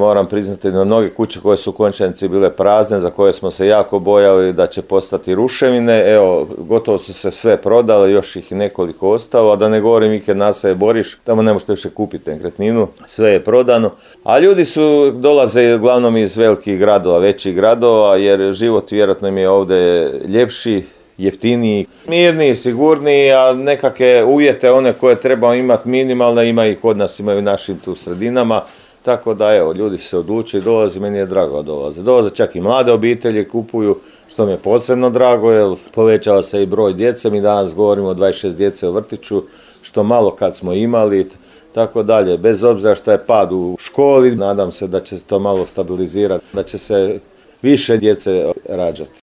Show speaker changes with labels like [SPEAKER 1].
[SPEAKER 1] Moram priznati da mnoge kuće koje su u Končanici bile prazne, za koje smo se jako bojali da će postati ruševine, evo, gotovo su se sve prodale, još ih nekoliko ostalo, a da ne govorim Iked naselje Boriš, tamo ne možete više kupiti nekretninu, sve je prodano. A ljudi dolaze uglavnom iz velikih gradova, većih gradova, jer život vjerojatno im je ovdje ljepši, jeftiniji, mirniji, sigurniji, a nekakve uvjete one koje treba imati minimalne, ima i kod nas, imaju u našim tu sredinama. Tako da evo, ljudi se odluče i dolaze, meni je drago da dolaze. Dolaze čak i mlade obitelji, kupuju, što mi je posebno drago, jer povećava se i broj djece. Mi danas govorimo o 26 djece u vrtiću, što malo kad smo imali, tako dalje. Bez obzira što je pad u školi, nadam se da će se to malo stabilizirati, da će se više djece rađati.